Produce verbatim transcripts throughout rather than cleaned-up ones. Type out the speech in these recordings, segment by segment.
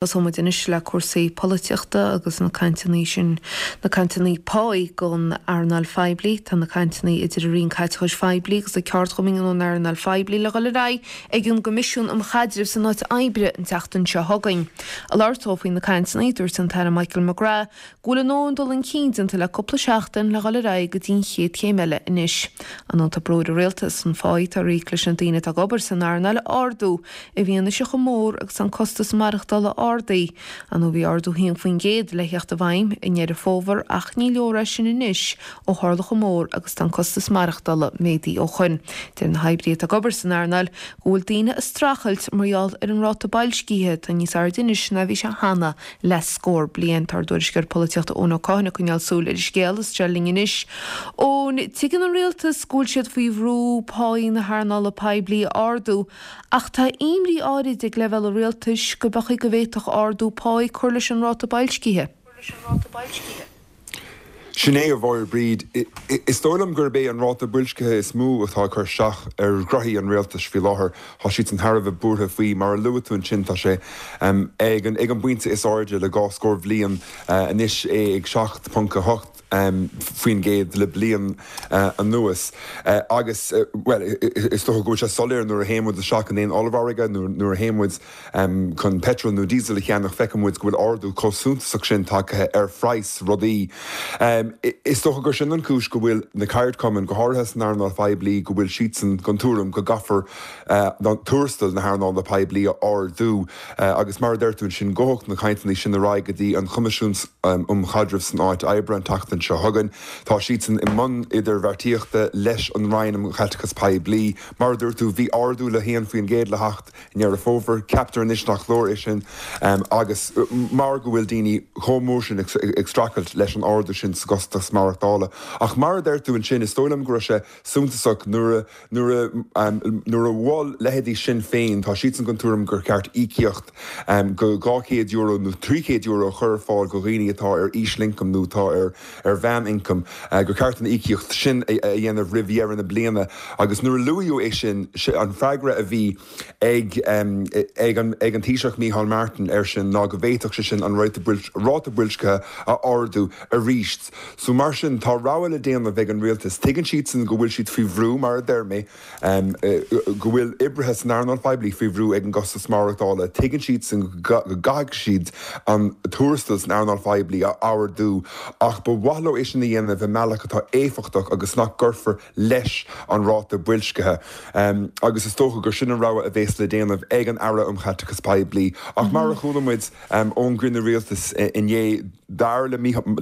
Tosóidh muid anois le cúrsaí polaitíochta agus na cainteanna sin, na cainteanna páí don earnáil phoiblí. Tá na cainteanna idir an Roinn Caiteachais Phoiblí agus na ceardchumainn ón earnáil phoiblí le dhul ar aghaidh ag an gCoimisiún um Chaidreamh san Áit Oibre an tseachtain seo chugainn. Ag labhairt dó faoi na cainteanna, dúirt an tAire Michael McGrath go bhfuil a ndóthain dul chun cinn déanta le cúpla seachtain le dhul ar aghaidh go dtí an chéad chéim eile anois. An tá brú ar an rialtas an pá atá ar íoc leis na daoine atá ag obair san earnáil a ardú i bhfianaise chomh mór agus an costas maireachtála ardaithe. An bhí ardú haon faoin gcéad le theacht i bhfeidhm i nDeireadh Fómhair ach ní leor é sin anois ó tharla chomh mór agus tá an costas maireachtála méadaithe ó shin. Deir na hoibrithe atá ag obair san earnáil go bhfuil daoine ag streachailt mar gheall ar an ráta boilscithe atá níos airde anois ná bhí sé cheana le scór bliain. Tá ár dtuairisceoir polaitíochta Eoin Ó Cadhain ag coinneáil súil ar an scéal is é linn anois. Eoin, tuigeann an rialtas go bhfuil siad faoi bhrú páí na hearnála poiblí a ardú ach tá imní áirid ag leibhéal an rialtais go b'fhéidir go bhféadfadh ardú páí cur leis an ráta boilscithe. Sin é a Mháire Bríd, is dóigh liom gurb é an ráta boilscithe is mó atá ag cur isteach ar ghraithí an rialtais faoi láthair. Tá siad thar a bheith buartha faoi mar a luaigh tú ansin tá sé ag an ag an bpointe is airde le dhá scór bliain anois é ag seacht ponc a hocht faoin gcéad le bliain anuas. Agus well is dócha go bhfuil sé soiléir nuair a théann muid isteach in aon ollmhargadh nuair a théann muid chun petrol nó diesel a cheannach feiceann muid go bhfuil ardú chomh suntasach sin tagtha ar phraghas rudaí. Is dócha gur sin an chúis go bhfuil na ceardchumainn go háirithe san earnáil phoiblí go bhfuil siadsan den tuairim go gcaithfear tuarastal na hearnála poiblí a ardú agus mar a deir tú sin gabhfaidh na cainteanna sin ar aghaidh go dtí an Coimisiún um Chaidreamh san Áit Oibre an tseachtain seo chugainn. Tá siadsan i mbun idirbheartaíochta leis an Roinn um Chaiteachas Poiblí. Mar a dúirt tú bhí ardú le haon faoin gcéad le theacht i nDeireadh Fómhair, ceaptar anois nach leor é sin agus mar go bhfuil daoine chomh mór sin ag streachailt leis an ardú sin sa gcostas maireachtála. Ach mar a deir tú ansin is dóigh liom go raibh sé suntasach nuair nuair nuair a mhol leithéidí Sinn Féin tá siadsan den tuairim gur cheart íocaíocht go dhá chéad euro nó trí chéad euro a chur ar fáil go dhaoine atá ar ísealioncam nó atá ar ar mheánioncam gur ceart an íocaíocht sin a dhéanamh roimh dheireadh na bliana agus nuair a luaíodh é sin an freagra a bhí ag ag an ag an Taoiseach Micheál Martin air sin ná go bhféadfadh sé sin an ráta boilscithe a ardú arís. So mar sin tá rogha le déanamh ag an rialtas. Tuigeann siadsan go bhfuil siad faoi bhrú mar a deir mé go bhfuil oibrithe san earnáil phoiblí faoi bhrú ag an gcostas maireachtála, tuigeann siadsan go gcaithfidh siad an tuarastal san earnáil phoiblí a ardú ach ba mhaith leo é sin a dhéanamh i mbealach atá éifeachtach agus nach gcuirfear leis an ráta boilscithe. Um, agus is dócha gur sin an rogha a bheas le déanamh ag an Aire um Chaiteachas Poiblí. Ach mar a chuala muid um, ón gcruinniú rialtais inné dar le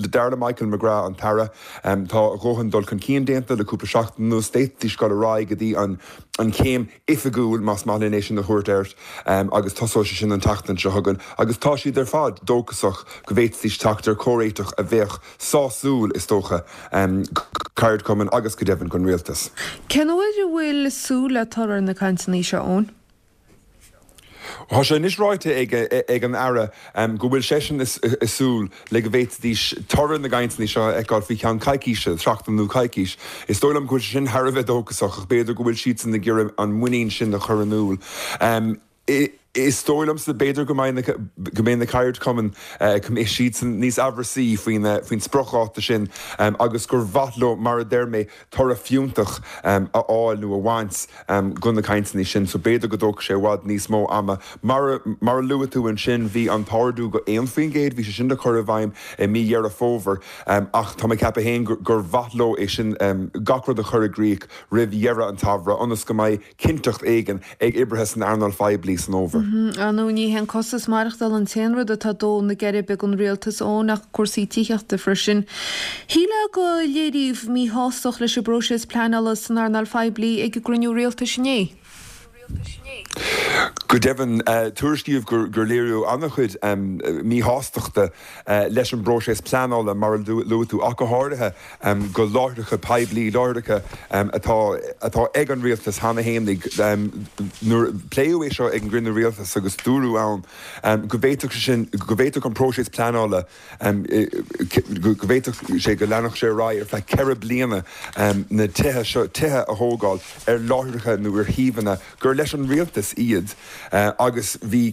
dar le Michael McGrath an tAire um, tá a dhóthain dul chun cinn déanta le cúpla seachtain anuas d'fhéadfaidís dul ar aghaidh go dtí an an chéim oifigiúil más maith linn é sin a thabhairt air um, agus tosóidh sé sin an tseachtain seo chugainn, agus tá siad ar fad dóchasach go bhféadfaidís teacht ar chomhréiteach a bheadh sásúil is dócha um, ceardchumainn agus go deimhin don rialtas. Cén uair a bhfuil súil le toradh na cainteanna seo Eoin? Tá sé anois ráite ag, ag an Aire um, go bhfuil seisean ag súil le go bhféadfaidís toradh na gcainteanna seo a fheiceáil faoi cheann coicíse, seachtain nó coicís. Is dóigh liom go bhfuil sin thar a bheith dóchasach ach b'fhéidir go bhfuil siadsan ag iarraidh an muinín sin a chur in iúl. Um, Is dóigh liomsa b'fhéidir go go mbeidh na ceardchumainn go mbeidh siadsan níos amhrasaí faoin faoin spriocdháta sin um, agus gur mhaith leo mar a deir mé toradh fiúntach um, a fháil nó a bhaint um, go na cainteanna sin, so b'fhéidir go dtógfaidh sé i bhfad níos mó ama. Mar, mar a luaigh tú ansin bhí an t-ardú go aon faoin gcéad, bhí sé sin le cur i bhfeidhm i mí Dheireadh Fómhair um, ach tá mé ag ceapadh féin gur, gur mhaith leo é sin um, gach rud a chur i gcrích roimh dheireadh an tsamhraidh ionas go mbeidh cinnteacht éigin ag oibrithe san earnáil phoiblí san fhómhar. Nó ní hé an costas maireachtála an t-aon rud atá ag dó na geirbe ag an rialtas Eoin ach cúrsaí tithíochta freisin. Shílfeá gur léiríodh míshástacht leis an bpróiseas pleanála san earnáil phoiblí ag an gcruinniú rialtais inné. Go deimhin tuairiscíodh gur gur léiríodh an-chuid um, míshástachta uh, leis an bpróiseas pleanála mar a luaigh tú ach go háirithe um, go láithreacha poiblí láithreacha um, atá atá ag an rialtas cheana féinig um, nuair pléadh é seo ag an gcruinniú rialtais agus dúradh ann um, go bhféadfadh sin go bhféadfadh an próiseas pleanála um, go bhféadfadh sé go leanfadh sé ar aghaidh ar feadh ceithre bliana um, na tithe seo tithe a thógáil ar láithreacha nó ar shuíomhanna gur leis an rialtas iad agus bhí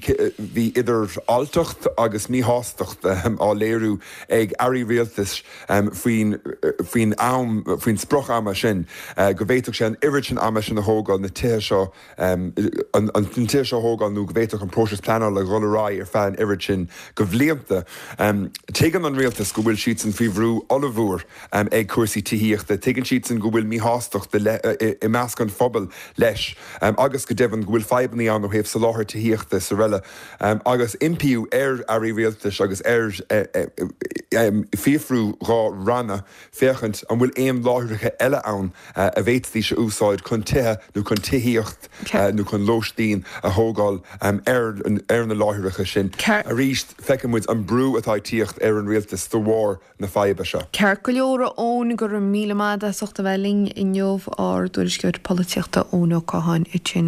bhí idir alltacht agus míshástacht á léiriú ag airí rialtais faoin faoin am faoin sprioc-ama sin go bhféadfadh sé an oiread sin ama sin a thógáil na tithe seo an an tithe seo a thógáil nó go bhféadfadh an próiseas pleanála a dhul ar aghaidh ar feadh an oiread sin de bhlianta. Tuigeann an rialtas go bhfuil siadsan faoi bhrú ollmhór ag cúrsaí tithíochta, tuigeann siadsan go bhfuil míshástacht i measc an phobail leis agus go deimhin go bhfuil fadhbanna ann ó thaobh soláthar tithíochta is araile agus impíodh ar airí rialtais agus ar fiafrú dhá ranna féachaint an bhfuil aon láithreacha eile ann a bhféadfaidís a úsáid chun tithe nó chun tithíocht nó chun lóistín a thógáil ar na láithreacha sin. Arís, feiceann muid an brú atá ag tíocht ar an rialtas de bharr na faidhbe seo. Ceart go leor, a Eoin, go raibh míle maith agat as ucht a bheith linn inniu, ár dtuairisceoir polaitíochta Eoin Ó Catháin.